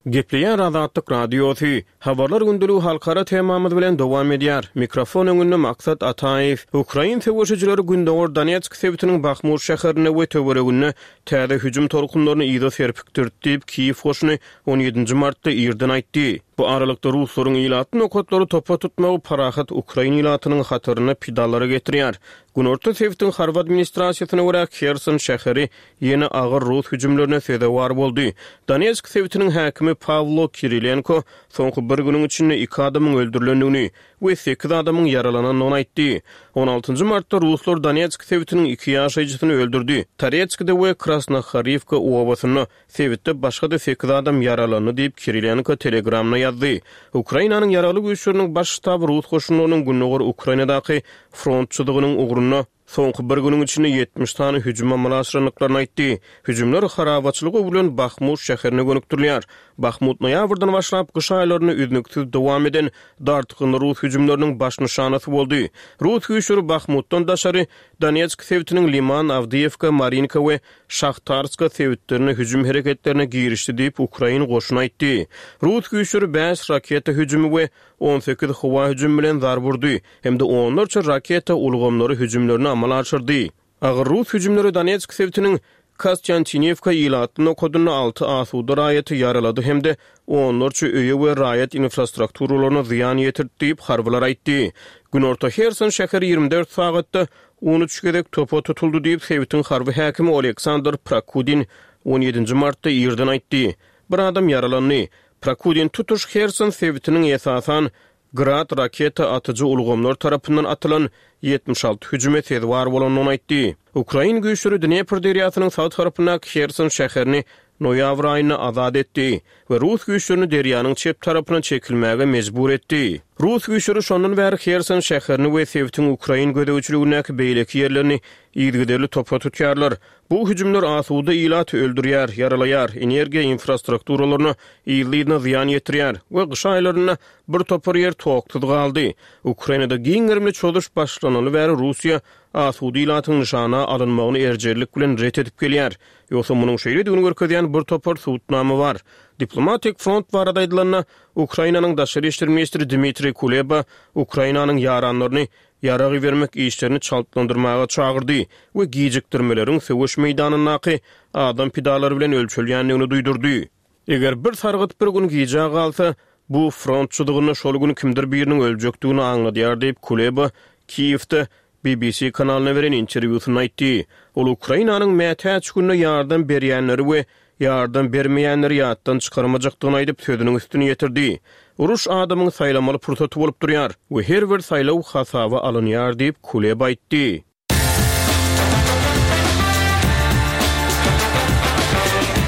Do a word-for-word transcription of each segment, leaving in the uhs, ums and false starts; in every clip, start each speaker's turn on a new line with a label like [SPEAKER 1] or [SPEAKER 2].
[SPEAKER 1] Gepleýär Azatlyk Radiosy. Habarlar gündeligi halkara temamyz bilen dowam edýär. Mikrofon öňünde Maksat Ataýew. Ukrain söweşijileri Gündogar Donetsk sebitiniň Bahmut şäherinde we töwereginde täze hüjüm tolkunlaryny yza serpikdirdi diýip, Kiýew goşuny on ýedinji martda irden aýtdy. Bu aralykda ruslaryň ilatly nokatlary topa tutmagy parahat ukrain ilatynyň hatarynda pidalara getirýär. Günorta sebitiň harby administrasiýasyna görä Herson şäheri ýene agyr rus hüjümlerine sezewar boldy. Donetsk sebitiniň häkimi Pawlo Kirilenko soňky bir günüň içinde iki adamyň öldürilendigini we sekiz adamyň ýaralanandygyny aýtdy. on altynjy martda ruslar Donetsk sebitiniň iki ýaşaýjysyny öldürdi. Toretskde we Krasnohorivka obasynda sebitde başga-da sekiz adam ýaralandy diýip Kirilenko Telegramda ýazdy. Ukrainanyň ýaragly güýçleriniň baş ştaby rus goşunlarynyň Gündogar Ukrainadaky front çyzygynyň ugrunda soňky bir günüň içinde ýetmiş sany hüjüm amala aşyrandyklaryny aýtdy. Hüjümler harabaçylyga öwrülen Bahmut şäherine gönükdirilýär. Bahmut noýabrdan başlap gyş aýlaryny üznüksiz dowam eden dartgynly rus hüjümleriniň baş nyşanasy boldy. Rus güýçleri Bahmutdan daşary Donetsk sebitiniň Liman, Awdiýewka, Marinka we Şahtarska sebitlerine hüjüm hereketlerine girişdi diýip Ukrain goşuny aýtdy. Rus güýçleri bäş raketa hüjümi we on sekiz howa hüjümi bilen zarb urdy hem-de onlarça raketa ulgamlary hüjümlerini amala aşyrdy. Agyr rus hüjümleri Donetsk sebitiniň Kostyantinivka ilatly nokadynda alty asuda raýaty ýaralady hem-de onlarça öýe we raýat infrastrukturalaryna zyýan ýetirdi diýip harbylar aýtdy. Günorta Herson şäheri ýigrimi dört sagatda on üç gezek topa tutuldy diýip sebitiň harby häkimi Oleksandr Prokudin on ýedinji martda irden aýtdy. Bir adam ýaralandy. Prokudin tutuş Herson sebitiniň esasan Grad raketa atyjy ulgamlar tarapyndan atylan ýetmiş alty hüjüme sezewar bolandygyny aýtdy. Ukrain güýçleri Dnepr derýasynyň sag tarapyndaky Herson şäherini noýabr aýynda azat etdi we rus güýçlerini derýanyň çep tarapyna çekilmäge mejbur etdi. Rus güýçleri şondan bäri Herson şäherini we sebitiň ukrain gözegçiligindäki beýleki ýerlerini yzygiderli topa tutýarlar. Bu hüjümler asuda ilaty öldürýär, ýaralaýar, energiýa infrastrukturalaryna yzly-yzyna zyýan ýetirýär we gyş aýlarynda bir topar ýer toksuz galdy. Ukrainada giň gerimli çozuş başlanaly bäri Russiýa asuda ilatyň nyşana alynmagyny erjellik bilen ret edip gelýär. Ýogsa munuň şeýledigini görkezýän bir topar subutnama bar. Diplomatik front barada aýdylanda, Ukrainanyň daşary işler ministri Dmitriý Kuleba Ukrainanyň ýaranlaryny ýarag bermek işlerini çaltlandyrmaga çagyrdy we gijikdirmeleriň söweş meýdanyndaky adam pidalary bilen ölçelýändigini duýdurdy. Eger bir sargyt bir gün gijä galsa, bu front çyzygynda şol gün kimdir biriniň öljekdigini aňladýar diýip Kuleba Kiýewde B B C kanalyna beren interwýusynda aýtdy. Ol Ukrainanyň mätäç gününe ýardam berýänleri we ýardam bermeýänleri ýatdan çykarmajakdygyny aýdyp sözüniň üstüni ýetirdi. Uruş adamyň saýlamaly pursaty bolup durýar we her bir saýlaw hasaba alynýar diýip Kuleba aýtdy.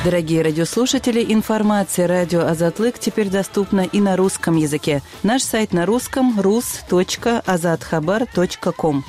[SPEAKER 2] Дорогие радиослушатели, информация радио Азатлык теперь доступна и на русском языке. Наш сайт на русском рус точка азатхабар точка ком.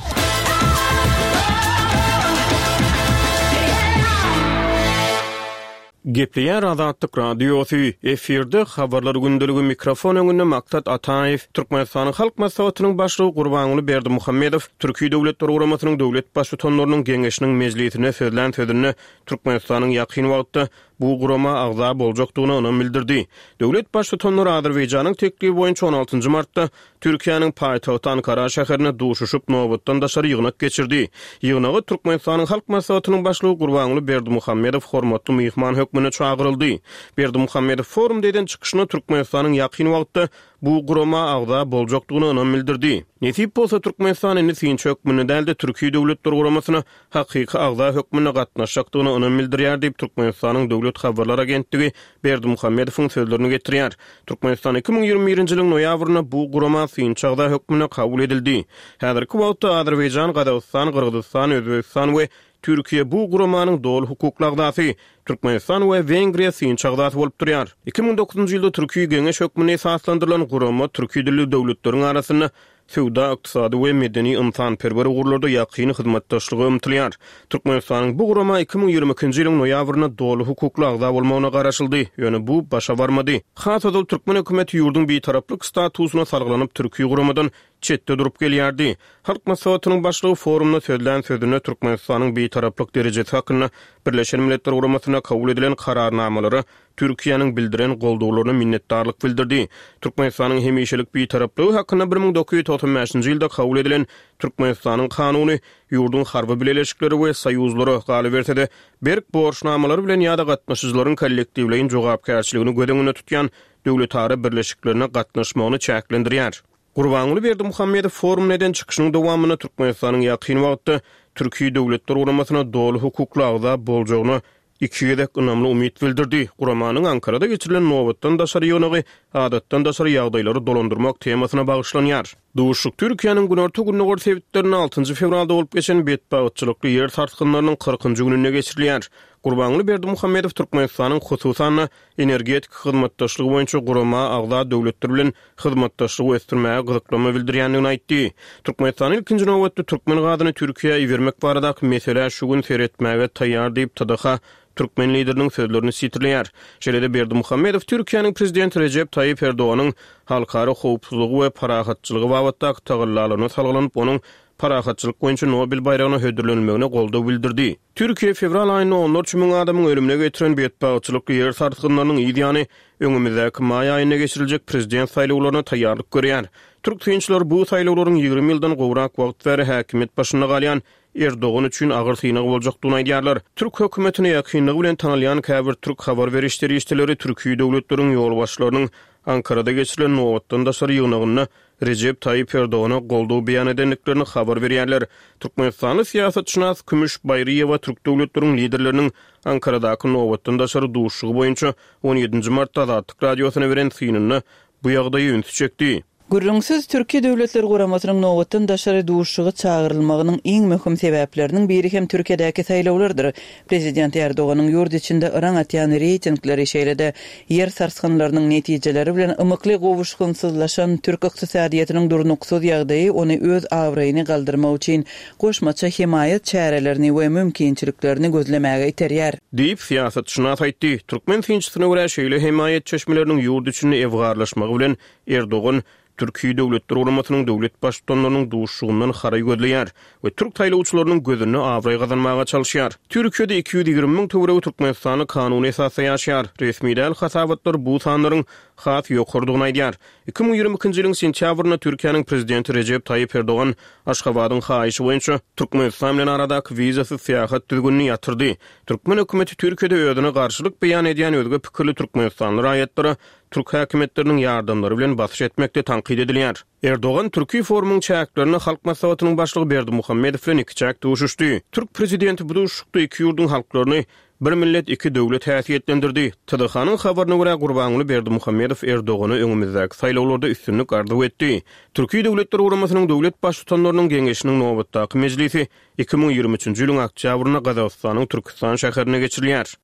[SPEAKER 1] Gepleýär Azatlyk Radiosy, efirde habarlar gündeligi mikrofon öňünde Maksat Ataýew, Türkmenistanyň Halk Maslahatynyň başlygy Gurbanguly Berdimuhamedow, Türkiýe Döwletler Guramasynyň döwlet baştutanlarynyň geňeşiniň mejlisine sözlän sözünde Türkmenistanyň ýakyn wagtda bu gurama agza boljakdygyna ynam bildirdi. Döwlet baştutanlary Azerbaýjanyň teklibi boýunça on altynjy martda Türkiýäniň paýtagty Ankara şäherine duşuşyp nobatdan daşary ýygnak geçirdi. Ýygnaga Türkmenistanyň Halk Maslahatynyň başlygy Gurbanguly Berdimuhamedow hormatly myhman hökmünde çagyryldy. Berdimuhamedow forumda eden çykyşynda Türkmenistanyň ýakyn wagtda bu gurama agza boljakdygyna ynam bildirdi. Nesip bolsa Türkmenistan indi synçy hökmünde däl-de Türkiýe Döwletler Guramasyna hakyky agza hökmünde gatnaşjakdygyna ynam bildirýär diýip Türkmenistanyň Döwlet Habarlar Agentligi Berdimuhamedowyň sözlerini getirýär. Türkmenistan iki müň ýigrimi birinji ýylyň noýabrynda bu gurama synçy agza hökmünde kabul edildi. Häzirki wagtda Azerbaýjan, Gazagystan, Gyrgyzystan, Özbegistan we Türkiýe bu guramanyň doly hukukly agzasy, Türkmenistan we Wengriýa synçy agzasy bolup durýar. iki müň dokuzynjy ýylda Türkiýe Geňeş hökmünde esaslandyrylan gurama türki dilli döwletleriň arasynda söwda, ykdysady we medeni ynsanperwer ugurlarda ýakyn hyzmatdaşlyga ymtylýar. Türkmenistanyň bu gurama iki müň ýigrimi ikinji ýylyň noýabrynda doly hukukly agza bolmagyna garaşyldy, ýöne bu başa barmady. Has ozal türkmen hökümeti ýurduň bitaraplyk statusyna salgylanyp Türkiýe guramadan çetde durup gelýärdi. Halk Maslahatynyň başlygy forumda sözlän sözünde Türkmenistanyň Bitaraplyk derejesi hakynda Birleşen Milletler Guramasynda kabul edilen Kararnamalara Türkiýäniň bildiren goldawlaryna minnetdarlyk bildirdi. Türkmenistanyň hemişelik Bitaraplygy hakynda bir müň dokuz ýüz togsan bäşinji ýylda kabul edilen Türkmenistanyň Kanuny ýurduň harby bileleşikleri we soýuzlary, galyberse-de, berk borçnamalary bilen ýa-da gatnaşyjylaryň kollektiwleýin jogapkärçiligini göz öňünde tutýan döwletara birleşiklerine gatnaşmagyny çäklendirýär. Gurbanguly Berdimuhamedow forumda eden çykyşynyň dowamynda Türkmenistanyň ýakyn wagtda Türki Döwletler Guramasyna doly hukukly agza boljagyna iki gezek ynamly umyt bildirdi. Guramanyň Ankarada geçirilen nobatdan daşary ýygnagy adatdan daşary ýagdaýlary dolandyrmak temasyna bagyşlanýar. Duşuşyk Türkiýäniň günorta-gündogar sebitlerinde altynjy fewralda bolup geçen betbagtçylykly ýer sarsgynlarynyň kyrkynjy gününde geçirilýär. Gurbanguly Berdimuhamedow Türkmenistanyň hususan-da energetika hyzmatdaşlygy boýunça gurama agza döwletler bilen hyzmatdaşlygy ösdürmäge gyzyklanma bildirýändigini aýtdy. Türkmenistan ilkinji nobatda türkmen gazyny Türkiýä ibermek baradaky meselä şu gün seretmäge taýýar diýip, T D H türkmen lideriniň sözlerini sitirleýär. Şeýle-de Berdimuhamedow Türkiýäniň prezidenti Rejep Taýyp Erdoganyň halkara howpsuzlygy we parahatçylygy babatdaky tagallalaryna salgylanyp, onuň parahatçylyk boýunça Nobel baýragyna hödürlenilmegine goldaw bildirdi. Türkiýe fewral aýynda onlarça müň adamyň ölümine getiren betbagtçylykly ýer sarsgynlarynyň yz ýany öňümizdäki maý aýynda geçiriljek prezident saýlawlaryna taýýarlyk görýär. Türk synçylary bu saýlawlaryň ýigrimi ýyldan gowrak wagt bäri häkimiýet başynda galýan Erdogan üçin agyr synag boljakdygyny aýdýarlar. Türk hökümetine ýakynlygy bilen tanalýan käbir türk habar beriş serişdeleri türki döwletleriň ýolbaşçylarynyň Ankarada geçirilen nobatdan daşary ýygnagynda Rejep Taýyp Erdogana goldaw beýan edendiklerini habar berýärler. Türkmenistanly syýasatşynas Kümüş Baýryýewa türk döwletleriň liderleriniň Ankaradaky nobatdan daşary duşuşygy boýunça on ýedinji martda Azatlyk Radiosyna beren synynda bu ýagdaýa ünsi çekdi.
[SPEAKER 2] Gürrüňsiz Türkiýe Döwletler Guramasynyň nobatdan daşary duşuşygy çagyrylmagynyň iň möhüm sebäpleriniň biri hem Türkiýedäki saýlawlardyr. Prezident Erdoganyň ýurt içinde yraň atýan reýtingleri, şeýle-de ýer sarsgynlarynyň netijeleri bilen ymykly gowuşgynsyzlaşan türk ykdysadyýetiniň durnuksyz ýagdaýy ony öz abraýyny galdyrmak üçin goşmaça hemaýat çärelerini we mümkinçiliklerini gözlemäge iterýär.
[SPEAKER 1] Diýip, syýasatşynas aýtdy. Türkmen synçysyna görä şeýle hemaýat çeşmeleriniň ýurt içinde ewgarlaşmagy bilen Erdogan Türkiýe Döwletler Guramasynyň döwlet baştutanlarynyň duşuşygyndan haraý gözleýär we türk saýlawçylarynyň gözünde abraý gazanmaga çalyşýar. Türkiýede iki ýüz ýigrimi müň töweregi Türkmenistany kanuny esasda ýaşaýar. Resmi däl hasabatlar bu sanlaryň has ýokarydygyny aýdýar. Iki müň ýigrimi ikinji ýylyň sentýabrynda Türkiýäniň prezidenti Rejep Taýyp Erdogan Aşgabadyň haýyşy boýunça Türkmenistan bilen aradaky wizasyz syýahat düzgünini ýatyrdy. Türkmen hökümeti Türkiýede özüne garşylyk beýan edýän özge pikirli türkmenistanly raýatlara türk häkimiýetleriniň ýardamlary bilen basyş etmekde tankyt edilýär. Erdogan Türkiýe forumyň çäklerinde Halk Maslahatynyň başlygy Berdimuhamedow bilen iki çäk duşuşdy. Türk prezidenti bu duşuşykda iki ýurduň halklaryny bir millet iki döwlet häsiýetlendirdi. T D H-nyň habaryna görä Gurbanguly Berdimuhamedow Erdogana öňümizdäki saýlawlarda üstünlik arzuw etdi. Türkiýe Döwletler Guramasynyň döwlet baştutanlarynyň geňeşiniň nobatdaky mejlisi iki müň ýigrimi üçünji ýylyň oktýabrynda Gazagystanyň Türkistan şäherinde geçirilýär.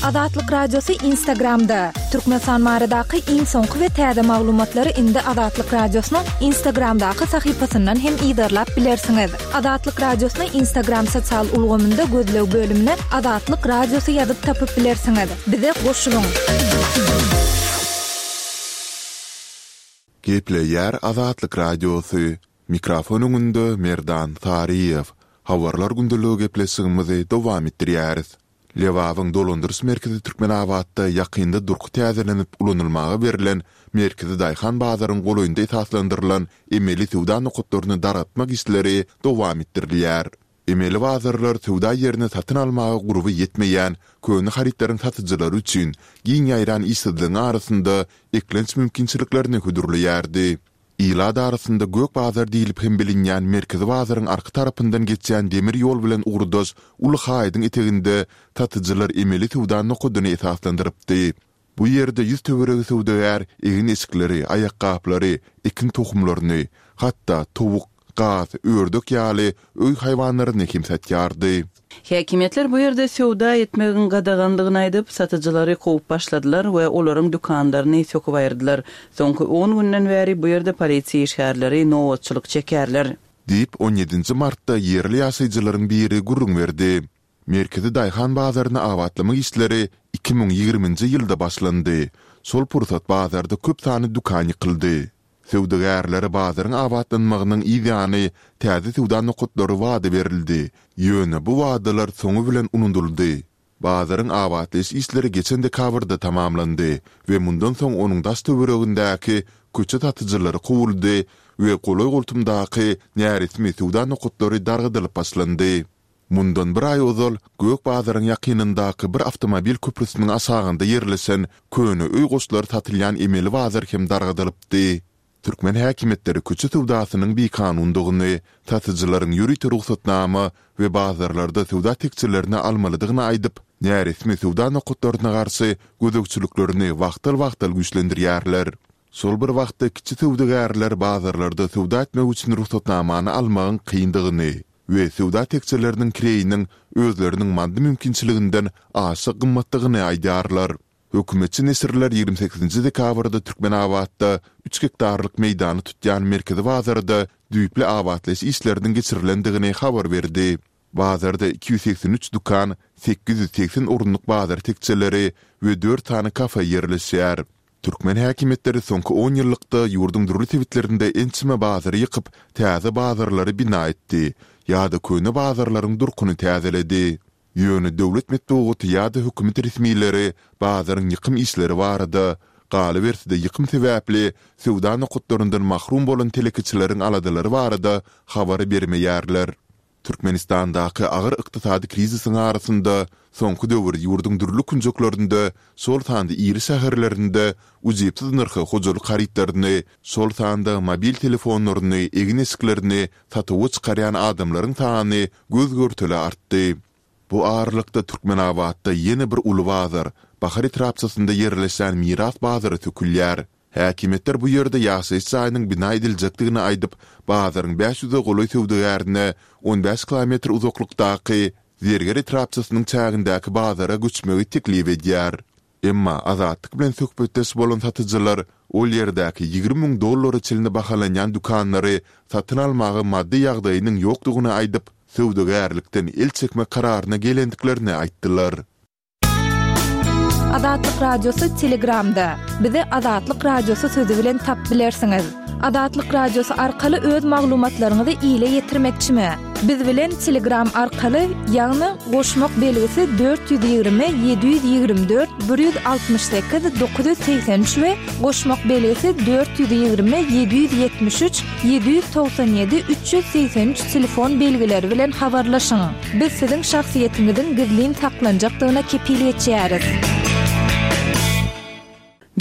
[SPEAKER 3] Azatlyk Radiosy Instagramda. Türkmenistan baradaky iň soňky we täze maglumatlary indi Azatlyk Radiosynyň Instagramdaky sahypasyndan hem yzarlap bilersiňiz. Azatlyk Radiosyny Instagram sosial ulgamynda gözleg bölümine Azatlyk Radiosy ýazyp tapyp bilersiňiz. Bize goşulyň.
[SPEAKER 4] Gepleýär Azatlyk Radiosy. Mikrofon öňünde Merdan Saryýew. Habarlar gündeligi gepleşigimizi dowam etdirýäris. Lebabyň dolandyryş merkezi Türkmenabatda ýakynda durky täzelenip ulanylmaga berlen Merkezi Daýhan bazaryň golaýynda esaslandyrylan emeli söwda nokatlaryny dargatmak işleri dowam etdirilýär. Emeli bazarlar söwda ýerini satyn almaga gurby ýetmeýän köne harytlaryň satyjylary üçin giň ýaýran işsizligiň arasynda eklenç mümkinçiliklerini hödürleýärdi. Ilat arasynda gök bazar diýlip hem bilinýän merkezi bazaryň arka tarapyndan geçýän demir ýol bilen ugurdaş uly haýydyň eteginde satyjylar emeli söwda nokadyny esaslandyrypdy. Bu ýerde ýüz töweregi söwdagär egin-eşikleri, aýakgaplary, ekin tohumlaryny, hatda towuk, gaz, ördek ýaly öý haýwanlaryny hem satýardy.
[SPEAKER 2] Häkimiýetler bu ýerde söwda etmegiň gadaganlygyny aýdyp, satyjylary kowup başladylar we olaryň dükanlaryny söküp aýyrdylar. Soňky on günden bäri bu ýerde polisiýa işgärleri nobatçylyk çekerler.
[SPEAKER 4] Diýip, on ýedinji martda ýerli ýaşaýjylaryň biri gürrüň berdi. Merkezi Daýhan bazaryny abatlamak işleri iki müň ýigriminji ýylda başlandy. Şol pursat bazarda köp sany dükan ýykyldy. Söwdagärlere bazaryň abatlanmagynyň yz ýany täze söwda nokatlary wada berildi. Ýöne bu wadalar soňy bilen unudyldy. Bazaryň abatlaýyş işleri geçen dekabrda tamamlandy we mundan soň onuň daş-töweregindäki köçe satyjylary kowuldy we golaý-goltumdaky näresmi söwda nokatlary dargadylyp başlandy. Mundan bir aý ozal Gök bazaryň ýakynyndaky bir awtomobil köprüsiniň aşagynda ýerleşen köne öý goşlary satylýan emeli bazar hem dargadylypdy. Türkmen häkimiýetleri köçe söwdasynyň bikanundygyny, satyjylaryň ýörite rugsatnama we bazarlarda söwda tekjelerini almalydygyny aýdyp, näresmi söwda nokatlaryna garşy gözegçiliklerini wagtal-wagtal güýçlendirýärler. Şol bir wagtda kiçi söwdagärler bazarlarda söwda etmek üçin rugsatnamany almagyň kyndygyny we söwda tekjeleriniň kireýiniň özleriniň maddy mümkinçiliginden aşa gymmatdygyny aýdýarlar. Hökümetçi neşirler ýigrimi sekizinji dekabrda Türkmenabatda üç gektarlyk meýdany tutýan merkezi bazarda düýpli abatlaýyş işleriniň geçirilendigini habar berdi. Bazarda iki ýüz segsen üç dükan, sekiz ýüz segsen orunlyk bazar tekjeleri we dört sany kafe ýerleşýär. Türkmen häkimiýetleri soňky on ýyllykda ýurduň dürli sebitlerinde ençeme bazary ýykyp, täze bazarlary bina etdi ýa-da köne bazarlaryň durkuny täzeledi. Ýöne döwlet metbugaty ýa-da hökümet resmileri bazaryň ýykym işleri barada, galyberse-de ýykym sebäpli söwda nokatlaryndan mahrum bolan telekeçileriň aladalary barada habar bermeýärler. Türkmenistandaky agyr ykdysady krizisiň arasynda, soňky döwür ýurduň dürli künjeklerinde, şol sanda iri şäherlerinde ujypsyz nyrha hojalyk harytlaryny, şol sanda mobil telefonlaryny, egin-eşiklerini satuwa çykarýan adamlaryň sany göz-görtele artdy. Bu aralykda Türkmenabatda ýene bir uly bazar, Bahar etrapçasynda ýerleşýän Miras bazary sökülýär. Häkimiýetler bu ýerde ýaşaýyş jaýynyň bina ediljekdigini aýdyp, bazaryň bäş ýüze golaý söwdagärine on bäş kilometr uzaklykdaky Zerger etrapçasynyň çägindäki bazara göçmegi teklip edýär. Emma Azatlyk bilen söhbetdeş bolan satyjylar ol ýerdäki ýigrimi müň dollara çenli bahalanýan dükanlary satyn almaga maddy ýagdaýynyň ýokdugyny aýdyp, söwdagärlikden el çekmek kararyna gelendiklerini aýtdylar.
[SPEAKER 3] Azatlyk Radiosy Telegramda. Bizi Azatlyk Radiosy sözi bilen tap bilersiňiz. Azatlyk Radiosy arkaly öz maglumatlaryňyzy ile ýetirmekçimi? Biz bilen Telegram arkaly, ýagny goşmak belgisi dört ýüz ýigrimi ýedi ýüz ýigrimi dört bir ýüz altmyş sekiz dokuz ýüz segsen üç we goşmak belgisi dört ýüz ýigrimi ýedi ýüz ýetmiş üç ýedi ýüz togsan ýedi üç ýüz segsen üç telefon belgileri bilen habarlaşyň. Biz siziň şahsyýetiňiziň gizlin saklanjakdygyna kepil geçýäris.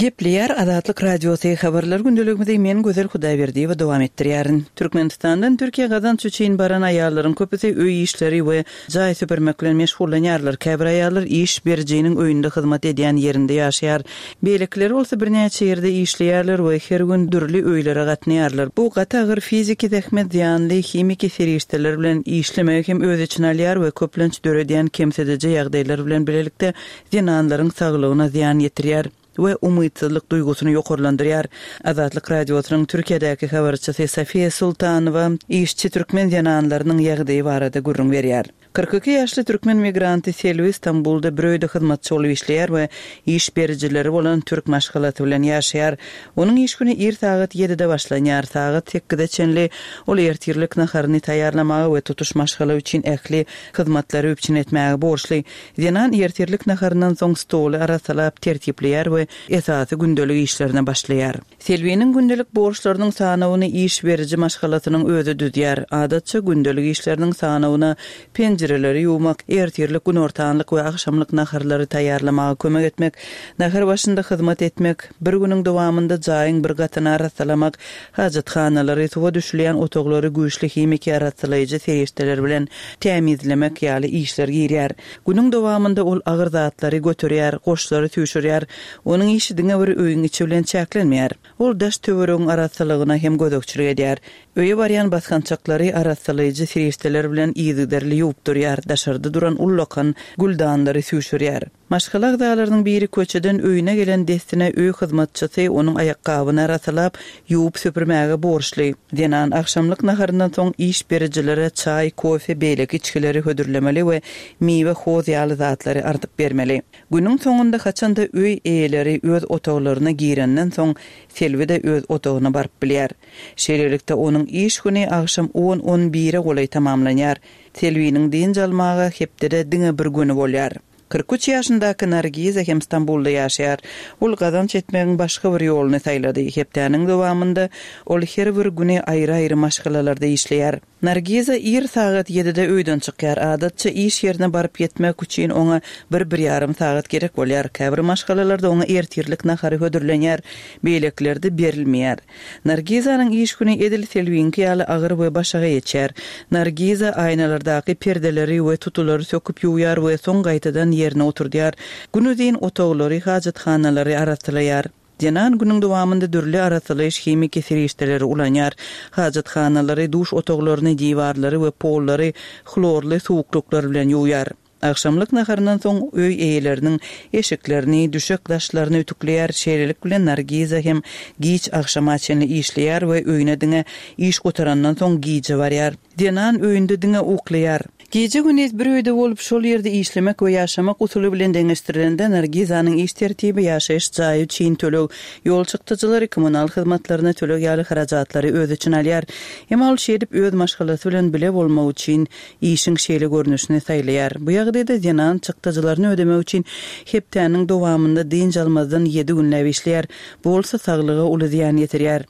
[SPEAKER 2] Gepleýär Azatlyk Radiosy habarlar gündeligimizi men Gözel Hudaýberdiýewa dowam etdirýärin. Türkmenistandan Türkiýä gazanç üçin baran aýallaryň köpüsi öý işleri we jaý süpürmek bilen meşgullanýarlar. Käbir aýallar iş berijiniň öýünde hyzmat edýän ýerinde ýaşaýar. Beýlekileri bolsa birnäçe ýerde işleýärler we her gün dürli öýlere gatnaýarlar. Bu gaty agyr fiziki zähmet zyýanly himiki serişdeler bilen işlemegi hem öz içine alýar we köplenç döredýän kemsidiji ýagdaýlar bilen bilelikde zenanlaryň saglygyna zyýan ýetirýär we umytsyzlyk duýgusyny ýokarlandyrýar. Azatlyk Radiosynyň Türkiýedäki habarçysy Sofiýa Sultanowa işçi türkmen zenanlarynyň ýagdaýy barada gürrüň berýär. Kyrk iki ýaşly türkmen migranty Selwi Stambulda bir öýde hyzmatçy bolup işleýär we iş berijileri bolan türk maşgalasy bilen ýaşaýar. Onuň iş güni ir sagat ýedide başlanýar. Sagat sekize çenli ol ertirlik naharyny taýýarlamaga we tutuş maşgala üçin ähli hyzmatlary üpjün etmäge borçly. Zenan ertirlik naharyndan soň stoly arassalap tertipleýär we esasy gündelik işlerine başlaýar. Selwiniň gündelik borçlarynyň sanawyny iş beriji maşgalasynyň özi düzýär. Adatça gündelik işleriniň sanawyna penjireleri ýuwmak, ertirlik, günortanlyk we agşamlyk naharlary taýýarlamaga kömek etmek, nahar başynda hyzmat etmek, bir günüň dowamynda jaýyň bir gatyny arassalamak, hajathanalary, suwa düşülýän otaglary güýçli himiki arassalaýjy serişdeler bilen tämizlemek ýaly işler girýär. Günüň dowamynda ol agyr zatlary göterýär, goşlary süýşürýär. Onuň işi diňe bir öýüň içi bilen çäklenmeýär. Ol daş töweregiň arassalygyna hem gözegçilik edýär. Öýe barýan basgançaklary arassalaýjy serişdeler bilen yzygiderli ýuwup durýar, daşarda duran ullakan güldanlary süýşürýär. Maşgala agzalarynyň biri köçeden öýüne gelen dessine öý hyzmatçysy onuň aýakgabyny arassalap, ýuwup süpürmäge borçly. Zenan agşamlyk naharyndan soň iş berijilere çaý, kofe, beýleki içgileri hödürlemeli we miwe, hoz ýaly zatlary artyp bermeli. Günüň soňunda haçanda öý eýeleri öz otaglaryna girenden soň Selbi-de öz otagyna baryp bilýär. Şeýlelikde onuň iş güni agşam on-on bire golaý tamamlanýar. Selbiniň dynç almaga hepdede diňe bir güni bolýar. Kyrk üç ýaşyndaky Nargiza hem Stambulda ýaşaýar. Ol gazanç etmegiň başga bir ýoluny saýlady. Hepdäniň dowamynda ol her bir güni aýry-aýry maşgalalarda işleýär. Nargiza ir sagat ýedide öýden çykýar. Adatça iş ýerine baryp ýetmek üçin oňa bir-bir ýarym sagat gerek bolýar. Käbir maşgalalarda oňa ertirlik nahary hödürlenýär, beýlekilerde berilmeýär. Nargizanyň iş güni edil Selbiňki ýaly agyr we başaga geçýär. Nargiza aýnalardaky perdeleri we tutulary söküp ýuwýar we soň gaýtadan ýerine oturdýar. Günuzyn otaglary, hajathanalary arassalaýar. Zenan günüň dowamynda dürli arassalaýyş himiki serişdeleri ulanýar. Hajathanalary, duş otaglaryny, diwarlary we pollary hlorly suwuklyklar bilen ýuwýar. Agşamlyk naharyndan soň öý eýeleriniň eşiklerini, düşek daşlaryny ütükleýär. Şeýlelik bilen Nargiza hem giç agşama çenli işleýär we öýüne diňe iş gutarandan soň gije barýar. Zenan öýünde diňe uklaýar. Gije gündiz bir öýde bolup, şol ýerde işlemek we ýaşamak usuly bilen deňeşdirilende Nargizanyň iş tertibi ýaşaýyş jaýy üçin töleg, ýol çykdajylary, kommunal hyzmatlaryna töleg ýaly harajatlary öz içine alýar. Emma ol şeýdip öz maşgalasy bilen bile bolmak üçin işiň şeýle görnüşini saýlaýar. Bu ýagdaýda zenan çykdajylaryny ödemek üçin hepdäniň dowamynda dynç almazdan ýedi günläp işleýär. Bu bolsa saglyga uly zyýan ýetirýär.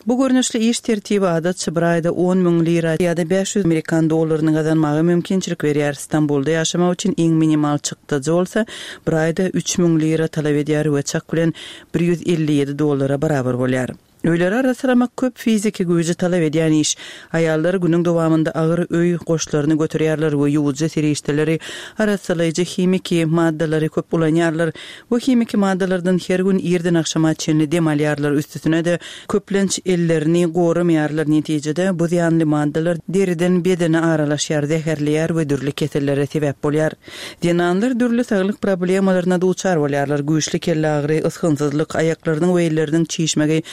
[SPEAKER 2] Bu görnüşli iş tertibi adatça bir aýda on müň lira ýa-da bäş ýüz amerikan dollaryny gazanmaga mümkinçilik berýär. Stambulda ýaşamak üçin iň minimal çykdajy bolsa bir aýda üç müň lira talap edýär we çak bilen bir ýüz elli ýedi dollara barabar bolýar. Öýleri arassalamak köp fiziki güýji talap edýän iş. Aýallar günüň dowamynda agyr öý goşlaryny göterýärler we ýuwujy serişdeleri, arassalaýjy himiki maddalary köp ulanýarlar. Bu himiki maddalardan her gün irden agşama çenli dem alýarlar. Üstesine-de köplenç ellerini goramaýarlar. Netijede bu zyýanly maddalar deriden bedene aralaşýar, zäherleýär we dürli kesellere sebäp bolýar. Zenanlar dürli saglyk problemalaryna duçar bolýarlar. Güýçli kelle agyry, ysgynsyzlyk, aýaklarynyň we elleriniň çişmegi,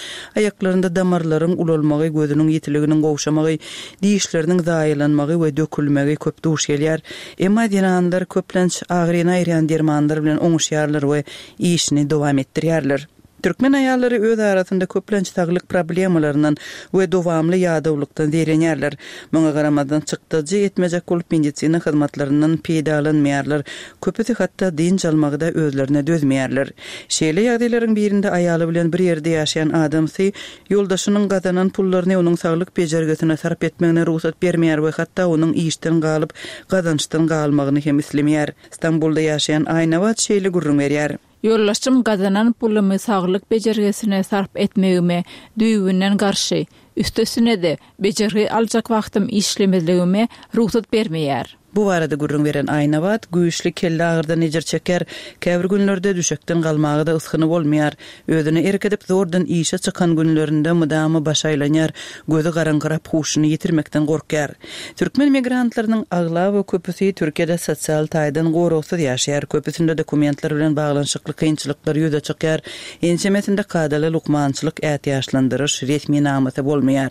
[SPEAKER 2] aýaklarynda damarlaryň ulalmagy, gözüniň ýitiliginiň gowşamagy, dişleriniň zaýalanmagy we dökülmegi köp duş gelýär. Emma zenanlar köplenç agyryny aýyrýan dermanlar bilen oňuşýarlar we işini dowam etdirýärler. Türkmen aýallary öz arasynda köplenç saglyk problemalaryndan we dowamly ýadawlykdan zeýrenýärler. Muňa garamazdan çykdajy etmejek bolup medisina hyzmatlaryndan peýdalanmaýarlar. Köpüsi hatda dynç almagy-da özlerine dözmeýärler. Şeýle ýagdaýlaryň birinde aýaly bilen bir ýerde ýaşaýan adamsy ýoldaşynyň gazanan pullaryny onuň saglyk bejergisine sarp etmegine rugsat bermeýär we hatda onuň işden galyp gazançdan galmagyny hem islemeýär. Stambulda ýaşaýan Aýnabat şeýle gürrüň berýär.
[SPEAKER 5] Ýoldaşym gazanan pulumy saglyk bejergisine sarp etmegime düýbünden garşy, üstesine-de bejergi aljak wagtym işlemezligime rugsat bermeýär.
[SPEAKER 2] Bu barada gürrüň beren Aýnabat güýçli kelle agyrdan ejir çeker, käbir günlerde düşekden galmaga da ysgyny bolmaýar. Özüni erk edip zordan işe çykan günlerinde mydama baş aýlanýar, gözi garaňkyrap huşuny ýitirmekden gorkýar. Türkmen migrantlarynyň aglaba köpüsi Türkiýede sosial taýdan goragsyz ýaşaýar. Köpüsinde dokumentler bilen baglanyşykly kynçylyklar ýüze çykýar. Ençemesinde kadaly lukmançylyk ätiýaçlandyryş resminamasy bolmaýar.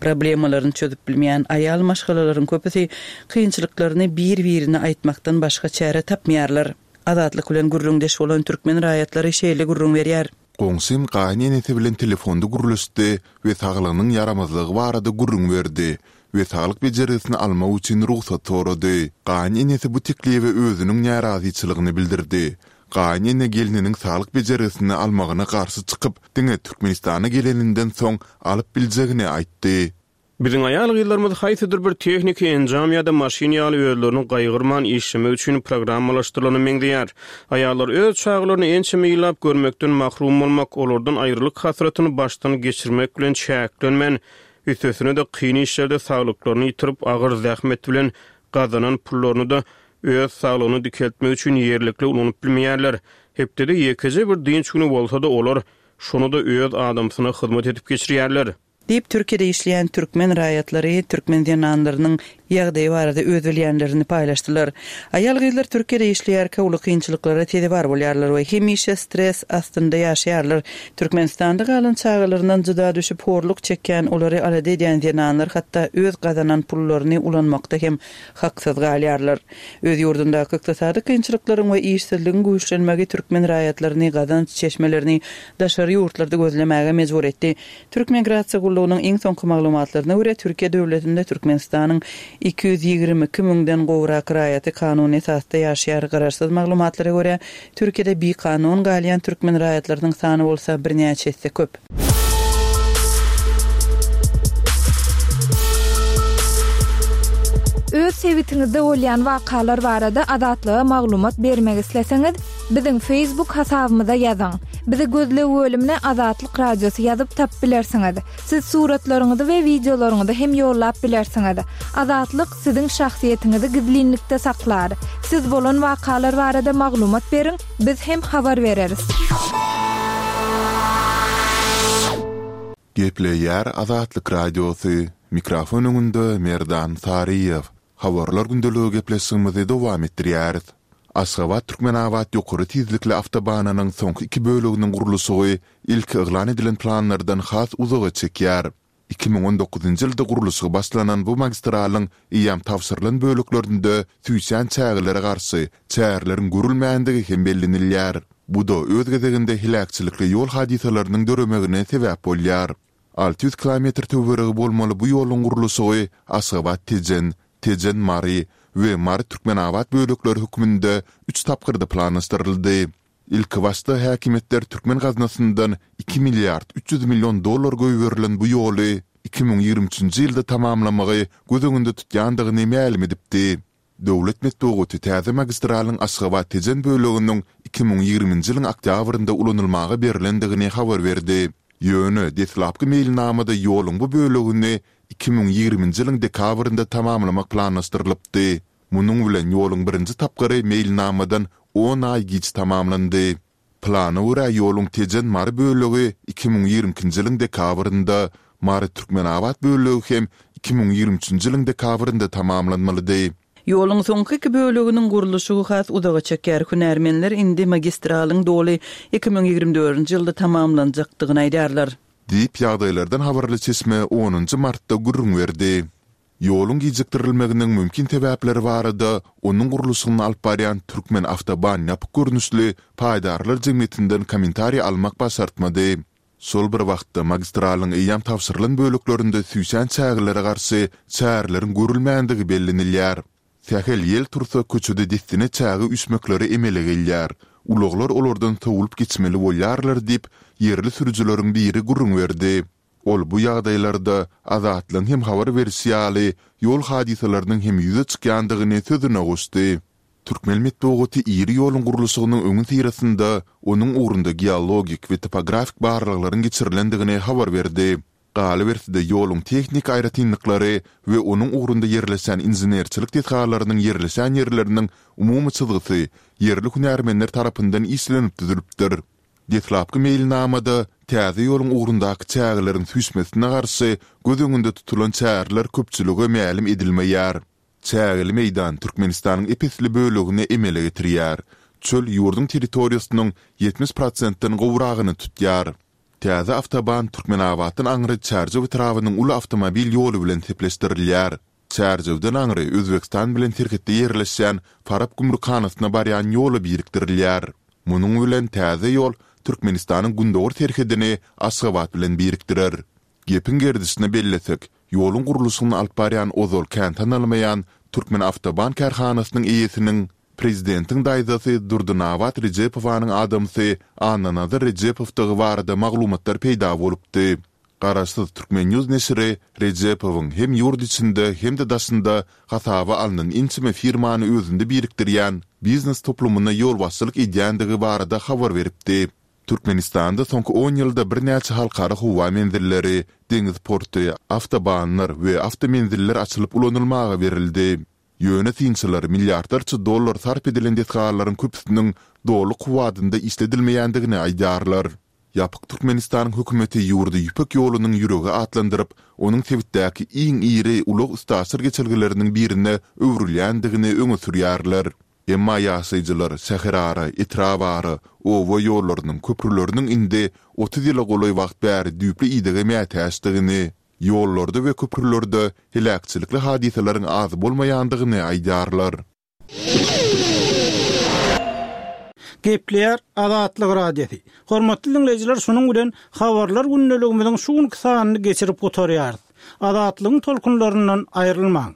[SPEAKER 2] Problemalaryny çözüp bilmeýän aýal maşgalalaryň köpüsi kynçylyklaryny bir-birine aýtmakdan başga çäre tapmaýarlar. Azatlyk bilen gürrüňdeş bolan türkmen raýatlary şeýle gürrüň berýär.
[SPEAKER 4] Goňşym gaýyn enesi bilen telefonda gürleşdi we saglygynyň ýaramazlygy barada gürrüň berdi we saglyk bejergisini almak üçin rugsat sorady. Gaýyn enesi bu teklibe özüniň närazyçylygyny bildirdi. Gaýyn ene gelniniň saglyk bejergisini almagyna garşy çykyp, diňe Türkmenistana geleninden soň alyp biljegini aýtdy.
[SPEAKER 1] Biziň aýal gyzlarymyz haýsydyr bir tehniki enjam ýa-da maşyn ýaly özlerini gaýgyrman işlemek üçin programmalaşdyrylany meňzeýär. Aýallar öz çagalaryny ençeme ýyllap görmekden mahrum bolmak, olardan aýrylyk hasratyny başdan geçirmek bilen çäklenmän, üstesine de kyn işlerde saglyklaryny ýitirip, agyr zähmet bilen gazanan pullaryny da öz saglygyny dikeltmek üçin ýerlikli ulanyp bilmeýärler. Hepdede ýekeje bir dynç güni bolsa-da olar şonu da öz adamsyna hyzmat edip geçirýärler.
[SPEAKER 2] Diýip Türkiýede işleýän türkmen raýatlary türkmen zenanlarynyň ýagdaýy barada öz bilýänlerini paýlaşdylar. Aýal-gyzlar Türkiýede işleýärkä uly kynçylyklara sezewar bolýarlar we hemişe stres astynda ýaşaýarlar. Türkmenistanda galan çagalaryndan jyda düşüp horluk çekýän, olary alada edýän zenanlar hatda öz gazanan pullaryny ulanmakda hem haksyz galýarlar. Öz ýurdundaky ykdysady kynçylyklaryň we işsizligiň güýçlenmegi türkmen raýatlaryny gazanç çeşmelerini daşary ýurtlarda gözlemäge mejbur etdi. Türk Migrasiýa gullugynyň iň soňky maglumatlaryna görä, Türkiýe döwletinde Türkmenistanyň iki ýüz ýigrimi iki müňden gowrak raýaty kanuny esasda ýaşaýar. Garaşsyz maglumatlara görä, Türkiýede bikanun galýan türkmen raýatlarynyň sany bolsa birnäçe esse köp.
[SPEAKER 3] Öz sebitiňizde bolýan wakalar barada Azatlyga maglumat bermek isleseňiz, biziň Facebook hasabymyza ýazyň. Bizi gözleg bölümine Azatlyk Radiosy ýazyp tapyp bilersiňiz. Siz suratlaryňyzy we wideolaryňyzy hem ýollap bilersiňiz. Azatlyk siziň şahsyýetiňizi gizlinlikde saklar. Siz bolan wakalar barada maglumat beriň, biz hem habar bereris.
[SPEAKER 4] Gepleýär Azatlyk Radiosy, mikrofon öňünde Merdan Saryýew. Habarlar gündeligi gepleşigimizi dowam etdirýäris. Aşgabat-Türkmenabat ýokary tizlikli awtobanynyň soňky iki böleginiň gurluşygy ilki yglan edilen planlardan has uzaga çekýär. Iki müň on dokuzynjy ýylda gurluşygy başlanan bu magistralyň eýýäm tabşyrylan böleklerinde süýşýän çägelere garşy çäreleriň görülmändigi hem bellenilýär. Bu-da öz gezeginde heläkçilikli ýol hadysalarynyň döremegine sebäp bolýar. Alty ýüz kilometr töweregi bolmaly bu ýoluň gurluşygy Aşgabat-Tejen, Tejen-Mary we Mary-Türkmenabat bölekleri hökmünde üç tapgyrda planlaşdyryldy. Ilkibaşda häkimiýetler türkmen gaznasyndan iki milliard üç ýüz million dollar goýberilen bu ýoly iki müň ýigrimi üçünji ýylda tamamlamagy göz öňünde tutýandygyny mälim edipdi. Döwlet metbugaty täze magistralyň Aşgabat-Tejen böleginiň iki müň ýigriminji ýylyň oktýabrynda ulanylmaga berlendigini habar berdi. Ýöne deslapky meýilnamada ýoluň bu bölegini iki müň ýigriminji ýylyň dekabrynda tamamlamak planlaşdyrylypdy. Munuň bilen ýoluň birinji tapgyry meýilnamadan on aý giç tamamlandy. Plana görä ýoluň Tejen-Mary bölegi iki müň ýigrimi ikinji ýylyň dekabrynda, Mary-Türkmenabat bölegi hem iki müň ýigrimi üçünji ýylyň dekabrynda tamamlanmalydy.
[SPEAKER 2] Ýoluň soňky iki böleginiň gurluşygy has uzaga çeker. Hünärmenler indi magistralyň doly iki müň ýigrimi dördünji ýylda tamamlanjakdygyny aýdarlar.
[SPEAKER 4] Diýip, ýagdaýlardan habarly çeşme onunjy martda gürrüň berdi. Ýoluň gijikdirilmeginiň mümkin sebäpleri barada onuň gurluşygyny alyp barýan Türkmen Awtoban ýapyk görnüşli paýdarlar jemgyýetinden kommentariý almak başartmady. Şol bir wagtda magistralyň eýýäm tabşyrylan böleklerinde süýşen çägelere garşy çäreleriň görülmändigi bellenilýär. Sähel ýel tursa köçede dessine çäge üýşmekleri emele gelýär. Ulaglar olardan sowulyp geçmeli bolýarlar diýip, ýerli sürüjileriň biri gürrüň berdi. Ol bu ýagdaýlarda Azatlygyň hem habar berişi ýaly ýol hadysalarynyň hem ýüze çykýandygyny sözüne goşdy. Türkmen metbugaty iri ýoluň gurluşygynyň öňüsyrasynda onuň ugrunda geologik we topografik barlaglaryň geçirilendigini habar berdi. Galyberse-de ýoluň tehniki aýratynlyklary we onuň ugrunda ýerleşen inženerçilik desgalarynyň ýerleşen ýerleriniň umumy çyzgysy ýerli hünärmenler tarapyndan işlenip düzülipdir. Deslapky meýilnamada täze ýoluň ugrundaky çägeleriň süýşmesine garşy göz öňünde tutulan çäreler köpçülige mälim edilmeýär. Çägeli meýdan Türkmenistanyň ep-esli bölegini emele getirýär. Çöl ýurduň territoriýasynyň ýetmiş prosentden gowragyny tutýar. Täze awtoban Türkmenabatdan aňry Çärjew etrabynyň uly awtomobil ýoly bilen sepleşdirilýär. Çärjewden aňry Özbegistan bilen serhetde ýerleşýän Farap gümrükhanasyna barýan ýola birikdirilýär. Munuň bilen täze ýol Türkmenistanyň gündogar serhedini Aşgabat bilen birikdirer. Gepiň gerdişine bellesek, ýoluň gurluşygyny alyp barýan ozal kän tanalmaýan Türkmenawtoban kärhanasynyň eýesiniň prezidentiň daýzasy Durdynabat Rejepowanyň adamsy Annanazar Rejepowdygy barada maglumatlar peýda bolupdy. Garaşsyz Türkmen News neşiri Rejepowyň hem ýurt içinde hem-de daşynda hasaba alnan ençeme firmany özünde birikdirýän biznes toplumyna ýolbaşçylyk edýändigi barada habar beripdi. Türkmenistanda soňky on ýylda birnäçe halkara howa menzilleri, deňiz porty, awtobanlar we awtomenziller açylyp ulanylmaga berildi. Ýöne synçylar milliardlarça dollar sarp edilen desgalaryň köpüsiniň doly kuwwatynda işledilmeýändigini aýdýarlar. Ýapyk Türkmenistanyň hökümeti ýurdy Ýüpek ýolunyň ýüregi atlandyryp, onuň sebitdäki iň iri ulag-üstaşyr geçelgeleriniň birine öwrülýändigini öňe sürýärler. Emma ýaşaýjylar şäherara, etrabara, oba ýollarynyň, köprüleriniň indi otuz ýyla golaý wagt bäri düýpli idege mätäçdigini, ýollarda we köprülerde heläkçilikli hadysalaryň az bolmaýandygyny aýdýarlar.
[SPEAKER 6] Gepleýär Azatlyk Radiosy. Hormatly diňleýjiler, şunuň bilen Habarlar gündeligimiziň şu günki sanyny geçirip gutarýarys. Azatlygyň tolkunlaryndan aýrylmaň!